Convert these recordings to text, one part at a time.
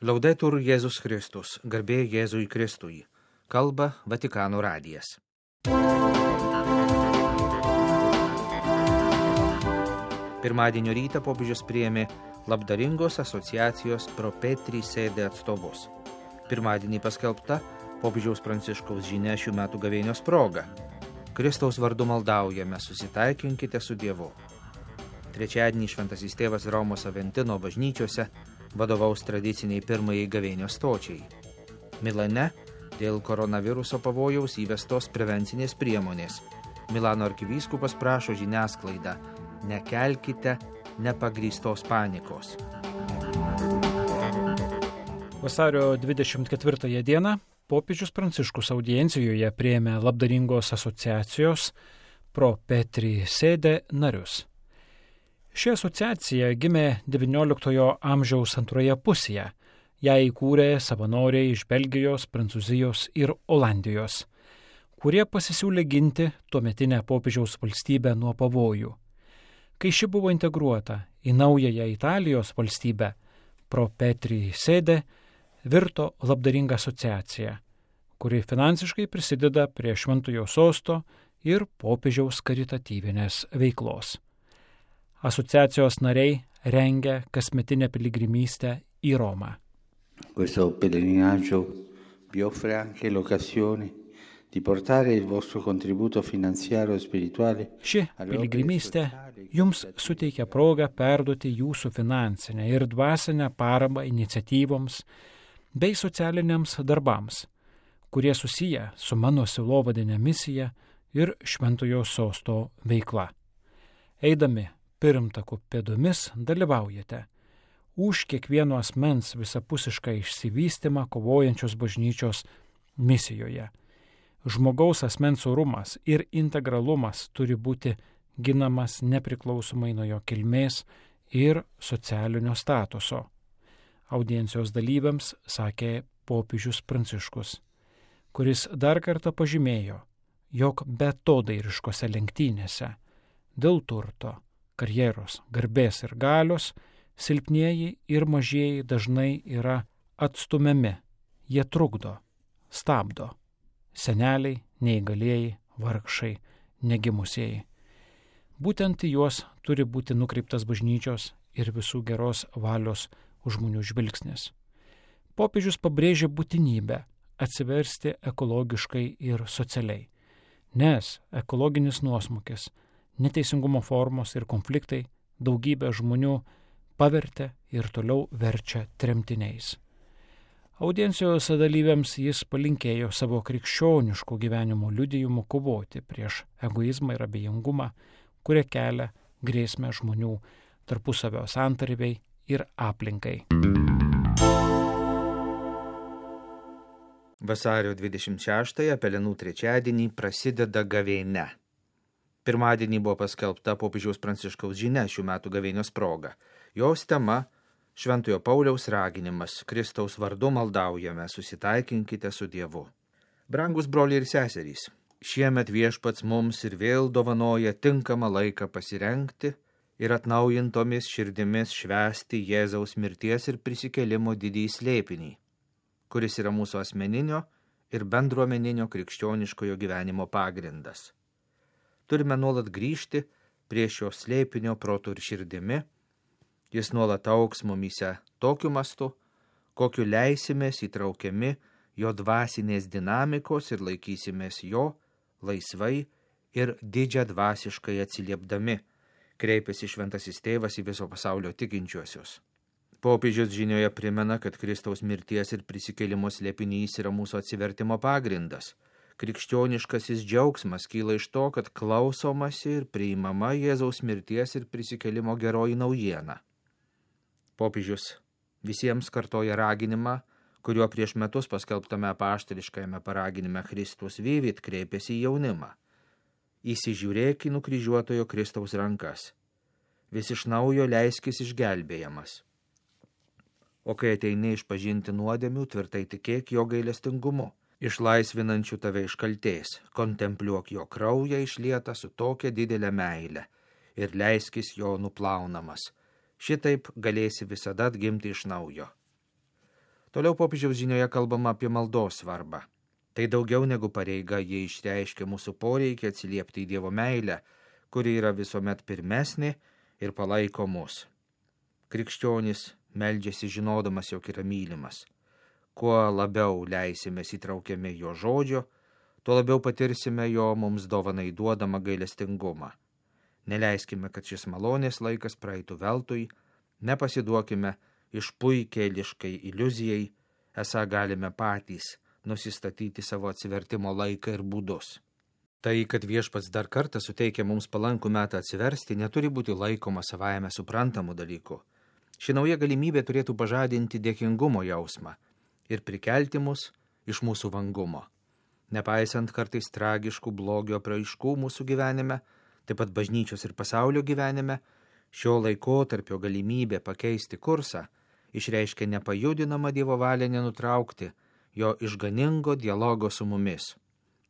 Laudetur Jėzus Kristus, garbė Jėzui Kristui, kalba Vatikano radijas. Pirmadienio rytą popiežius priėmė labdaringos asociacijos Pro Petri Sede atstovus. Pirmadienį paskelbta popiežiaus Pranciškaus žinia šių metų gavėnios proga. Kristaus vardu maldaujame, susitaikinkite su Dievu. Trečiadienį šventasis tėvas Romos Aventino bažnyčiose vadovaus tradiciniai pirmajai gavėnios stočiai. Milane dėl koronaviruso pavojaus įvestos prevencinės priemonės. Milano arkivyskupas prašo žiniasklaidą: nekelkite nepagrįstos panikos. Vasario 24 dieną popiežius Pranciškus audiencijoje priėmė labdaringos asociacijos Pro Petri Sede narius. Ši asociacija gimė XIX amžiaus antroje pusėje. Ją įkūrė savanoriai iš Belgijos, Prancūzijos ir Olandijos, kurie pasisiūlė ginti tuometinę popiežiaus valstybę nuo pavojų. Kai ši buvo integruota į naująją Italijos valstybę, Pro Petri Sede virto labdaringa asociacija, kuri finansiškai prisideda prie Šventojo sosto ir popiežiaus karitatyvinės veiklos. Asociacijos nariai rengia kasmetinę piligrimystę į Romą. Questo pellegrinaggio vi offre anche l'occasione di portare il vostro contributo finanziario e spirituale. Ši piligrimystė jums suteikia progą perduoti jūsų finansinę ir dvasinę paramą iniciatyvoms bei socialiniams darbams, kurie susiję su mano sielovadine misija ir Šventojo sosto veikla. Eidami pirmtakų pėdomis dalyvaujate už kiekvieno asmens visapusišką išsivystymą kovojančios bažnyčios misijoje. Žmogaus asmens orumas ir integralumas turi būti ginamas nepriklausomai nuo jo kilmės ir socialinio statuso. Audiencijos dalyviams sakė popiežius Pranciškus, kuris dar kartą pažymėjo, jog beatodairiškose lenktynėse dėl turto, karjeros, garbės ir galios silpnieji ir mažieji dažnai yra atstumiami. Jie trukdo, stabdo. Seneliai, neįgalieji, vargšai, negimusieji. Būtent į juos turi būti nukreiptas bažnyčios ir visų geros valios žmonių žvilgsnis. Popiežius pabrėžė būtinybę atsiversti ekologiškai ir socialiai, nes ekologinis nuosmukis, neteisingumo formos ir konfliktai daugybę žmonių pavertė ir toliau verčia tremtiniais. Audiencijos dalyviams jis palinkėjo savo krikščioniškų gyvenimo liudijimu kovoti prieš egoizmą ir abejingumą, kurie kelia grėsmę žmonių tarpusavio santarvei ir aplinkai. Vasario 26-ąją Pelenų trečiadienį prasideda gavėnia. Pirmadienį buvo paskelbta popiežiaus Pranciškaus žinia šių metų gavėnios proga. Jos tema – Šventojo Pauliaus raginimas: Kristaus vardu maldaujame, susitaikinkite su Dievu. Brangus broliai ir seserys, šiemet Viešpats mums ir vėl dovanoja tinkamą laiką pasirengti ir atnaujintomis širdimis švęsti Jėzaus mirties ir prisikėlimo didįjį slėpinį, kuris yra mūsų asmeninio ir bendruomeninio krikščioniškojo gyvenimo pagrindas. Turime nuolat grįžti prie šio slėpinio protu ir širdimi. Jis nuolat augs mumyse tokiu mastu, kokiu leisimės įtraukiami jo dvasinės dinamikos ir laikysimės jo laisvai ir didžią dvasiškai atsiliepdami, kreipiasi šventasis tėvas į viso pasaulio tikinčiuosius. Popiežius žinioje primena, kad Kristaus mirties ir prisikėlimo slėpinys yra mūsų atsivertimo pagrindas. Krikščioniškasis džiaugsmas kyla iš to, kad klausomasi ir priimama Jėzaus mirties ir prisikėlimo geroji naujiena. Popiežius visiems kartoja raginimą, kuriuo prieš metus paskelbtame apaštališkajame paraginime Kristus Vivit kreipėsi į jaunimą. Įsižiūrėk į nukryžiuotojo Kristaus rankas. Vis iš naujo leiskis išgelbėjamas. O kai ateini išpažinti nuodėmių, tvirtai tikėk jo gailestingumu, išlaisvinančių tave iš kaltės, kontempliuok jo kraują išlietą su tokia didelė meile ir leiskis jo nuplaunamas. Šitaip galėsi visada atgimti iš naujo. Toliau popiežiaus žinioje kalbama apie maldos svarbą. Tai daugiau negu pareiga, jie išreiškia mūsų poreikį atsiliepti į Dievo meilę, kuri yra visuomet pirmesnė ir palaiko mus. Krikščionis meldžiasi žinodamas, jog yra mylimas. Kuo labiau leisimės įtraukiami jo žodžio, tuo labiau patirsime jo mums dovanai duodamą gailestingumą. Neleiskime, kad šis malonės laikas praeitų veltui, nepasiduokime išpuikėliškai iliuzijai, esą galime patys nusistatyti savo atsivertimo laiką ir būdus. Tai, kad viešpats dar kartą suteikia mums palankų metą atsiversti, neturi būti laikoma savaime suprantamų dalykų. Ši nauja galimybė turėtų pažadinti dėkingumo jausmą ir prikelti mus iš mūsų vangumo. Nepaisant kartais tragiškų blogio apraiškų mūsų gyvenime, taip pat bažnyčios ir pasaulio gyvenime, šio laikotarpio galimybė pakeisti kursą išreiškia nepajudinamą Dievo valią nenutraukti jo išganingo dialogo su mumis.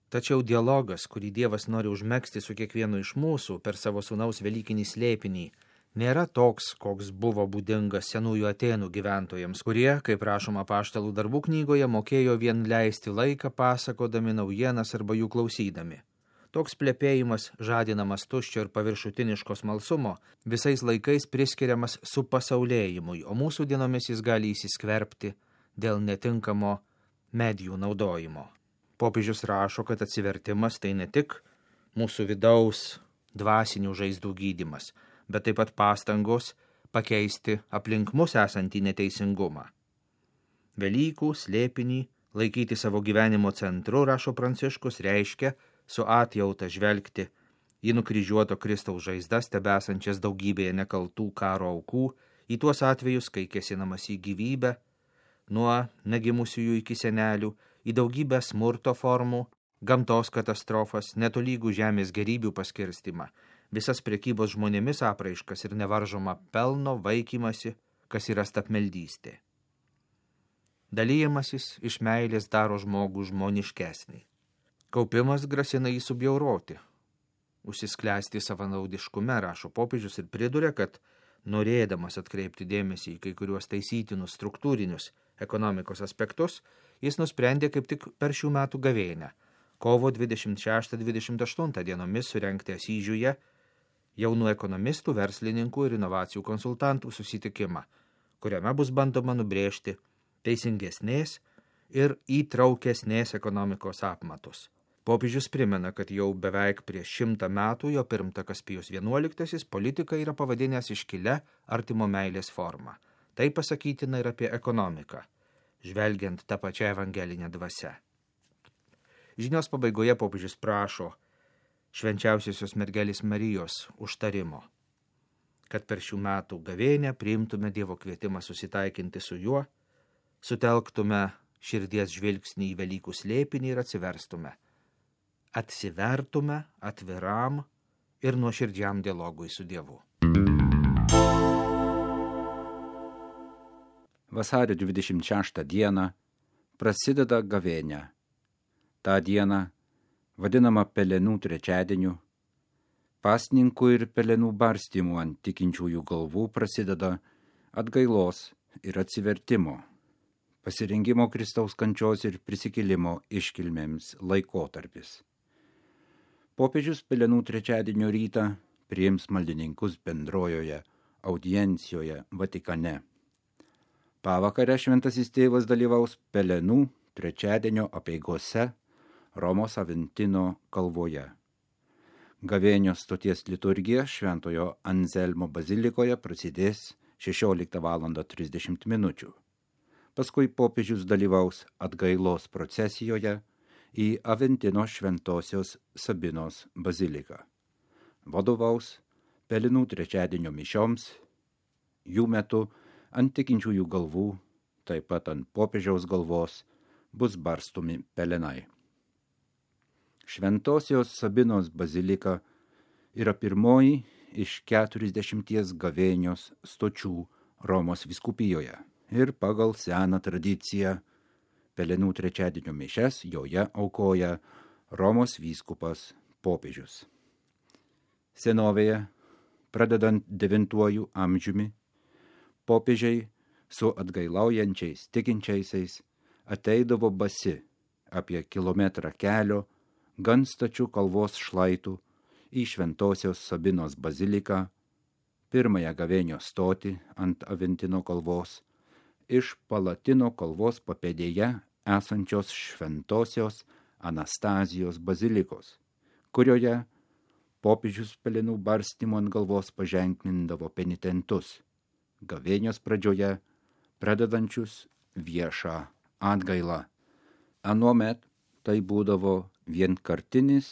Tačiau dialogas, kurį Dievas nori užmegzti su kiekvienu iš mūsų per savo sūnaus velykinį slėpinį, nėra toks, koks buvo būdingas senųjų Atėnų gyventojams, kurie, kaip rašoma Apaštalų darbų knygoje, mokėjo vien leisti laiką pasakodami naujienas arba jų klausydami. Toks plepėjimas, žadinamas tuščio ir paviršutiniško smalsumo, visais laikais priskiriamas supasaulėjimui, o mūsų dienomis jis gali įsiskverbti dėl netinkamo medijų naudojimo. Popiežius rašo, kad atsivertimas tai ne tik mūsų vidaus dvasinių žaizdų gydymas, bet taip pat pastangos pakeisti aplink mus esantį neteisingumą. Velykų slėpinį laikyti savo gyvenimo centru, rašo Pranciškus, reiškia su atjauta žvelgti į nukryžiuoto Kristaus žaizdas, tebesančias daugybėje nekaltų karo aukų, į tuos atvejus, kai kėsinamas į gyvybę, nuo negimusiųjų iki senelių, į daugybę smurto formų, gamtos katastrofas, netolygų žemės gerybių paskirstimą, visas prekybos žmonėmis apraiškas ir nevaržoma pelno vaikymasi, kas yra stabmeldystė. Dalyjimasis iš meilės daro žmogų žmoniškesnį. Kaupimas grasina jį subjauroti, užsisklęsti savanaudiškume, rašo popiežius ir priduria, kad norėdamas atkreipti dėmesį į kai kuriuos taisytinus struktūrinius ekonomikos aspektus, jis nusprendė kaip tik per šių metų gavėnią, kovo 26-28 dienomis surengti Asyžiuje jaunų ekonomistų, verslininkų ir inovacijų konsultantų susitikimą, kuriame bus bandoma nubrėžti teisingesnės ir įtraukesnės ekonomikos apmatus. Popiežius primena, kad jau beveik prieš 100 metų jo pirmtakas Pijus XI politiką yra pavadinęs iškilia artimo meilės forma. Tai pasakytina ir apie ekonomiką, žvelgiant tą pačią evangelinę dvasią. Žinios pabaigoje popiežius prašo švenčiausiosios mergelės Marijos užtarimo, kad per šių metų gavėnią priimtume Dievo kvietimą susitaikinti su juo, sutelktume širdies žvilgsnį į Velykų slėpinį ir atsivertume atviram ir nuoširdžiam dialogui su Dievu. Vasario 26 dieną prasideda gavėnia. Ta diena, vadinama Pelenų trečiadieniu, pasninkų ir pelenų barstymų ant tikinčiųjų galvų prasideda atgailos ir atsivertimo, pasirengimo Kristaus kančios ir prisikėlimo iškilmėms laikotarpis. Popiežius Pelenų trečiadienio rytą priims maldininkus bendrojoje audiencijoje Vatikane. Pavakarę šventasis tėvas dalyvaus Pelenų trečiadienio apeigose Romos Aventino kalvoje. Gavėnios stoties liturgija Šventojo Anzelmo bazilikoje prasidės 16:30. Paskui popiežius dalyvaus atgailos procesijoje į Aventino šventosios Sabinos baziliką. Vadovaus Pelenų trečiadienio mišioms, jų metu ant tikinčiųjų galvų, taip pat ant popiežiaus galvos, bus barstomi pelenai. Šventosios Sabinos bazilika yra pirmoji iš 40 gavėnios stočių Romos vyskupijoje ir pagal seną tradiciją Pelenų trečiadienio mišias joje aukoja Romos vyskupas popiežius. Senovėje, pradedant 9 amžiumi, popiežiai su atgailaujančiais tikinčiaisiais ateidavo basi apie kilometrą kelio gan stačių kalvos šlaitų į Šventosios Sabinos baziliką, pirmąją gavėnios stotį ant Aventino kalvos, iš Palatino kalvos papėdėje esančios Šventosios Anastazijos bazilikos, kurioje popiežius pelenų barstymu ant galvos paženklindavo penitentus, gavėnios pradžioje pradedančius viešą atgailą. Anuomet tai būdavo vienkartinis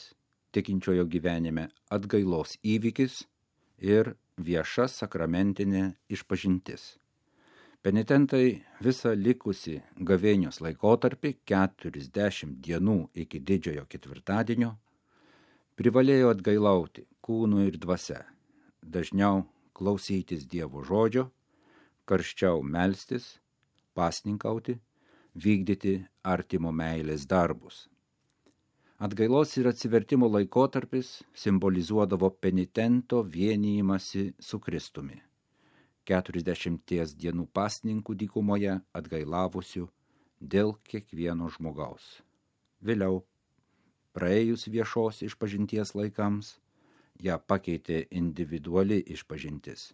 tikinčiojo gyvenime atgailos įvykis ir vieša sakramentinė išpažintis. Penitentai visą likusi gavėnios laikotarpį 40 dienų iki didžiojo ketvirtadienio privalėjo atgailauti kūnu ir dvasia, dažniau klausytis Dievo žodžio, karščiau melstis, pasninkauti, vykdyti artimo meilės darbus. Atgailos ir atsivertimo laikotarpis simbolizuodavo penitento vienijimąsi su Kristumi. 40 dienų pasninkų dykumoje atgailavusių dėl kiekvieno žmogaus. Vėliau, praėjus viešos išpažinties laikams, ją pakeitė individuali išpažintis.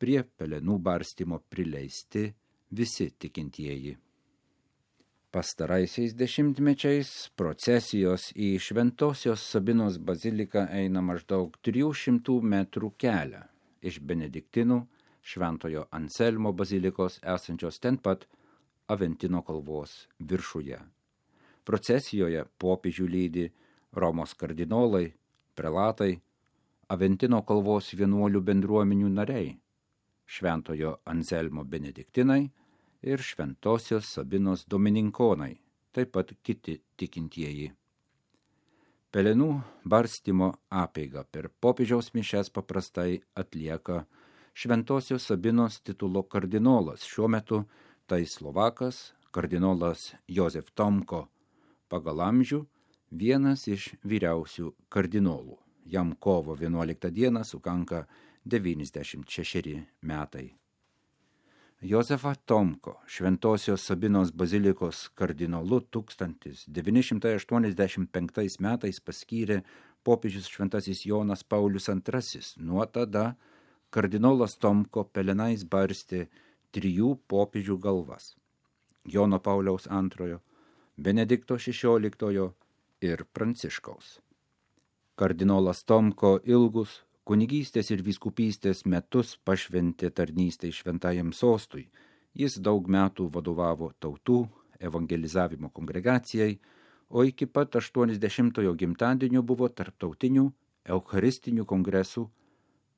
Prie pelenų barstymo prileisti visi tikintieji. Pastaraisiais dešimtmečiais procesijos į Šventosios Sabinos baziliką eina maždaug 300 metrų kelią iš Benediktinų Šventojo Anselmo bazilikos esančios ten pat Aventino kalvos viršuje. Procesijoje popiežių lydi Romos kardinolai, prelatai, Aventino kalvos vienuolių bendruomenių nariai, Šventojo Anselmo benediktinai ir Šventosios Sabinos domininkonai, taip pat kiti tikintieji. Pelenų barstymo apeigą per popiežiaus mišias paprastai atlieka Šventosios Sabinos titulo kardinolas, šiuo metu tai Slovakas, kardinolas Jozef Tomko, pagal amžių vienas iš vyriausių kardinolų. Jam kovo 11 dieną sukanka 96 metai. Jozefą Tomko Šventosios Sabinos bazilikos kardinolu 1985 metais paskyrė popiežius šventasis Jonas Paulius II. Nuo tada kardinolas Tomko pelenais barstė 3 popiežių galvas – Jono Pauliaus II, Benedikto XVI ir Pranciškaus. Kardinolas Tomko ilgus kunigystės ir vyskupystės metus pašventė tarnystei šventajam sostui. Jis daug metų vadovavo tautų evangelizavimo kongregacijai, o iki pat 80-ojo gimtadienio buvo tarptautinių eucharistinių kongresų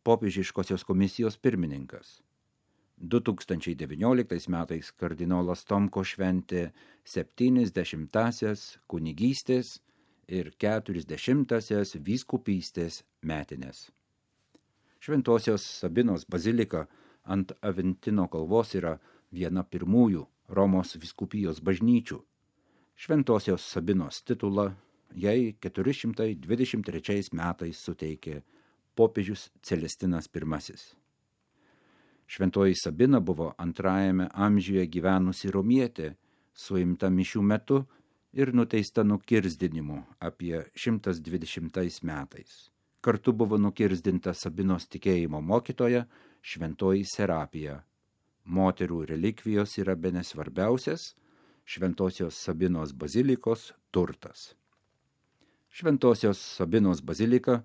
popiežiškosios komisijos pirmininkas. 2019 metais kardinolas Tomko šventė 70-asias kunigystės ir 40-asias vyskupystės metinės. Šventosios Sabinos bazilika ant Aventino kalvos yra viena pirmųjų Romos vyskupijos bažnyčių. Šventosios Sabinos titulą jai 423 metais suteikė popiežius Celestinas I. Šventoji Sabina buvo antrajame amžiuje gyvenusi romietė, suimta mišių metu ir nuteista nukirzdinimu apie 120 metais. Kartu buvo nukirzdinta Sabinos tikėjimo mokytoja Šventoji Serapija. Moterų relikvijos yra bene svarbiausias Šventosios Sabinos bazilikos turtas. Šventosios Sabinos bazilika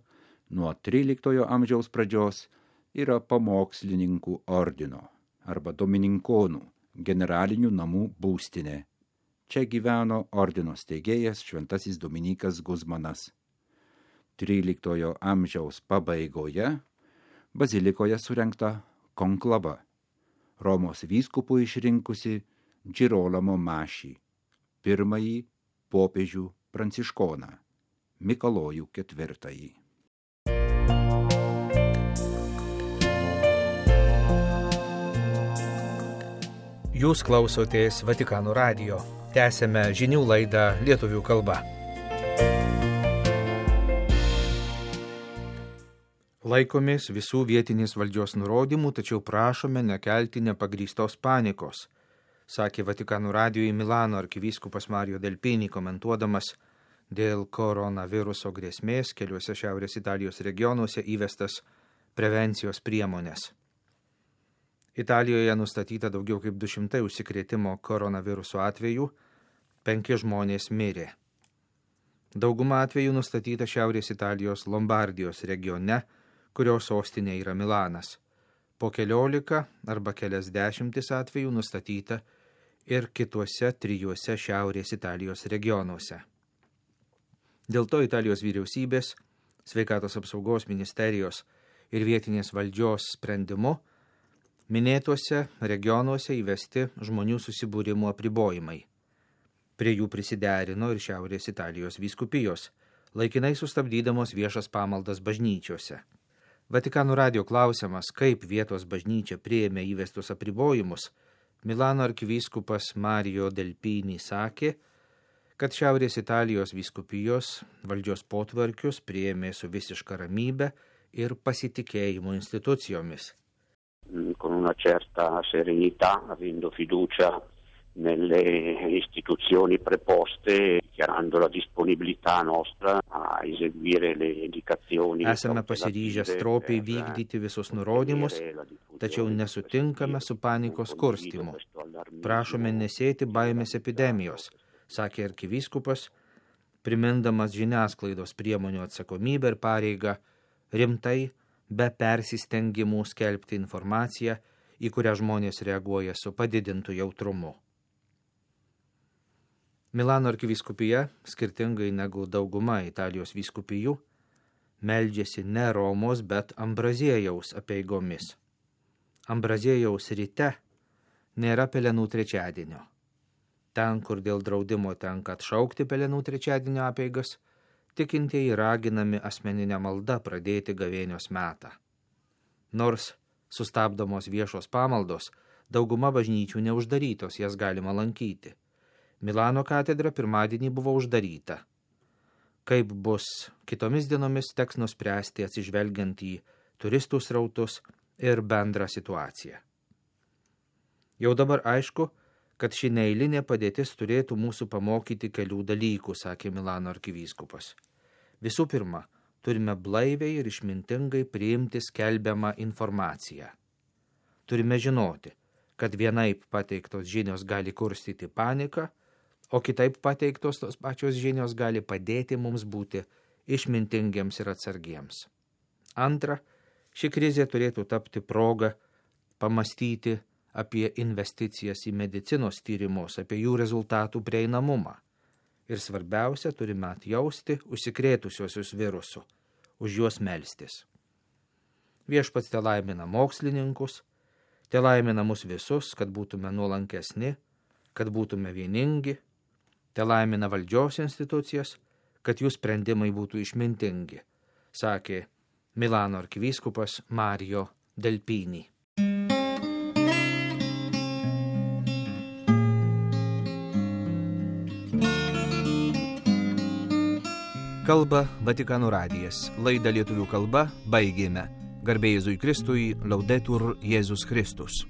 nuo 13 amžiaus pradžios yra pamokslininkų ordino arba domininkonų generalinių namų būstinė. Čia gyveno ordino steigėjas šventasis Dominikas Guzmanas. 13 amžiaus pabaigoje bazilikoje surengta konklava, Romos vyskupų išrinkusi Girolamo Mašį, pirmąjį popiežių pranciškoną, Mikalojų IV. Jūs klausotės Vatikano radijo. Tęsėme žinių laidą lietuvių kalba. Laikomės visų vietinės valdžios nurodymų, tačiau prašome nekelti nepagrįstos panikos, sakė Vatikano radijui Milano arkivyskupas Mario Delpini, komentuodamas dėl koronaviruso grėsmės keliuose Šiaurės Italijos regionuose įvestas prevencijos priemonės. Italijoje nustatyta daugiau kaip 200 užsikrėtimo koronaviruso atvejų, 5 žmonės mirė. Dauguma atvejų nustatyta Šiaurės Italijos Lombardijos regione, kurio sostinė yra Milanas. Po 14 arba kelias dešimtis atvejų nustatyta ir kituose 3 Šiaurės Italijos regionuose. Dėl to Italijos vyriausybės, sveikatos apsaugos ministerijos ir vietinės valdžios sprendimu minėtuose regionuose įvesti žmonių susibūrimo apribojimai. Prie jų prisiderino ir Šiaurės Italijos vyskupijos, laikinai sustabdydamos viešas pamaldas bažnyčiose. Vatikano radijo klausiamas, kaip vietos bažnyčia priėmė įvestus apribojimus, Milano arkivyskupas Mario Delpini sakė, kad Šiaurės Italijos vyskupijos valdžios potvarkius priėmė su visiška ramybe ir pasitikėjimu institucijomis. Con una certa serenità, avendo fiducia nelle istituzioni preposte, dichiarando la disponibilità nostra a eseguire le indicazioni. Esame pasiryžę stropiai vykdyti visus nurodymus, tačiau nesutinkame su panikos kurstymu. Prašome nesėti baimės epidemijos, sakė arkivyskupas, primindamas žiniasklaidos priemonių atsakomybę ir pareigą rimtai, be persistengimų skelbti informaciją, į kurią žmonės reaguoja su padidintu jautrumu. Milano arkivyskupija, skirtingai negu dauguma Italijos vyskupijų, meldžiasi ne Romos, bet Ambraziejaus apeigomis. Ambraziejaus ryte nėra pelenų trečiadienio. Ten, kur dėl draudimo tenka atšaukti pelenų trečiadienio apeigas, tikintieji raginami asmeninę maldą pradėti gavėnios metą. Nors sustabdomos viešos pamaldos, dauguma bažnyčių neuždarytos, jas galima lankyti. Milano katedra pirmadienį buvo uždaryta. Kaip bus kitomis dienomis, teks nuspręsti atsižvelgiant į turistų srautus ir bendrą situaciją. Jau dabar aišku, kad ši neeilinė padėtis turėtų mūsų pamokyti kelių dalykų, sakė Milano arkivyskupas. Visų pirma, turime blaiviai ir išmintingai priimti skelbiamą informaciją. Turime žinoti, kad vienaip pateiktos žinios gali kurstyti paniką, o kitaip pateiktos tos pačios žinios gali padėti mums būti išmintingiems ir atsargiems. Antra, ši krizė turėtų tapti progą pamastyti apie investicijas į medicinos tyrimus, apie jų rezultatų prieinamumą. Ir svarbiausia, turime atjausti užsikrėtusiuosius virusu, už juos melstis. Viešpats telaimina mokslininkus, telaimina mus visus, kad būtume nuolankesni, kad būtume vieningi, telaimina valdžios institucijas, kad jų sprendimai būtų išmintingi, sakė Milano arkivyskupas Mario Delpini. Kalba Vatikano radijas. Laidą lietuvių kalba baigėme. Garbė Jėzui Kristui, Laudetur Jėzus Kristus.